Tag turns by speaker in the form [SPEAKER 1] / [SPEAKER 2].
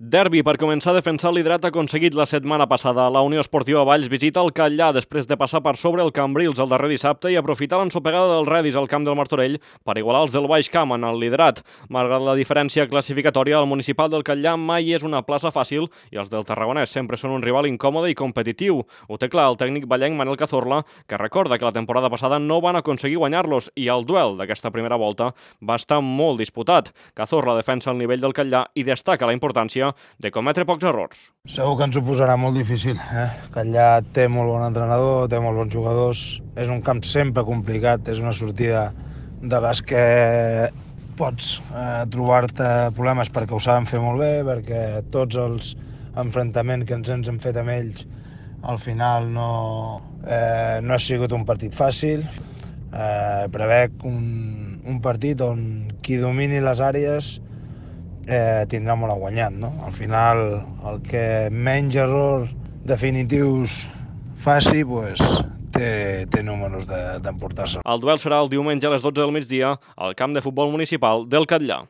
[SPEAKER 1] Derbi per començar a defensar el liderat aconseguit la setmana passada. La Unió Esportiva Valls visita el Catllà després de passar per sobre el Cambrils el darrer dissabte i aprofitar l'ensopegada dels Redis al camp del Martorell per igualar els del Baix Camp en el liderat. Malgrat la diferència classificatòria, el municipal del Catllà mai és una plaça fàcil i els del Tarragonès sempre són un rival incòmode i competitiu. Ho té clar el tècnic vallenc Manel Cazorla, que recorda que la temporada passada no van aconseguir guanyar-los i el duel d'aquesta primera volta va estar molt disputat. Cazorla defensa el nivell del Catllà i destaca la importància de cometre pocs errors.
[SPEAKER 2] Segur que ens ho posarà molt difícil. Catllà té molt bon entrenador, té molt bons jugadors, és un camp sempre complicat, és una sortida de les que pots trobar-te problemes perquè ho saben fer molt bé, perquè tots els enfrontaments que ens hem fet amb ells al final no ha sigut un partit fàcil. Prevec un partit on qui domini les àrees tindrà molt a guanyar, no? Al final, el que menys errors definitius faci, té números d'emportar-se.
[SPEAKER 1] El duel serà el diumenge a les 12 del migdia al camp de futbol municipal del Catllà.